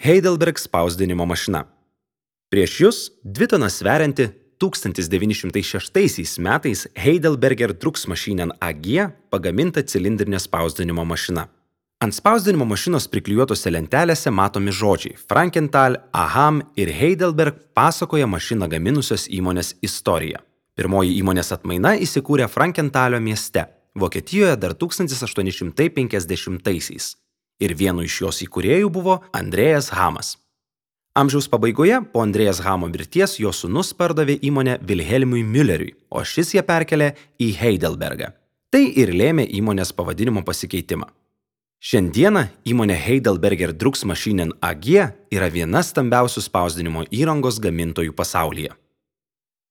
Heidelberg spausdinimo mašina. Prieš jūs 2 tonas sverianti 1906 metais Heidelberger Drucksmaschinen AG pagaminta cilindrinė spausdinimo mašina. Ant spausdinimo mašinos priklijuotose lentelėse matomi žodžiai Frankenthal, Aham ir Heidelberg pasakoja mašiną gaminusios įmonės istoriją. Pirmoji įmonės atmaina įsikūrė Frankenthalio mieste, Vokietijoje dar 1850-aisiais. Ir vienu iš jos įkūrėjų buvo Andreas Hamas. Amžiaus pabaigoje po Andreas Hamo mirties jo sūnus pardavė įmonę Wilhelmui Mülleriui, o šis ją perkelė į Heidelbergą. Tai ir lėmė įmonės pavadinimo pasikeitimą. Šiandieną įmonė Heidelberger Drucksmaschinen AG yra viena stambiausių spausdinimo įrangos gamintojų pasaulyje.